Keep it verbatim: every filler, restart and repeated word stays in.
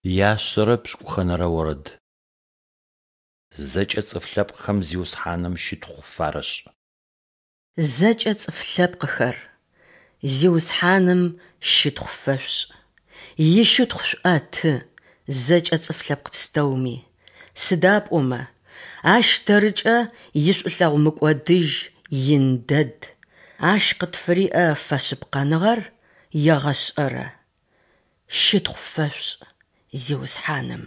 Яшъэрэ пшӏыкӏухэнэрэ орэд. Зэкӏэ цӏыф лъэпкъхэм Зиусхьаным щытхъу фарэшӏ. Зэкӏэ цӏыф лъэпкъхэр, Зиусхьаным щытхъу фэшъушӏ, ищытхъу шъуӏэты, зэкӏэ цӏыф лъэпкъ пстэуми. Сыда пӏомэ Ащ тэрыкӏэ ишӏулъэгъу мыкӏодыжь ин дэд, Ащ къытфыриӏэ фэшъыпкъэныгъэр егъэшӏэрэ. Щытхъу фэшъушӏ Зиусхьаным!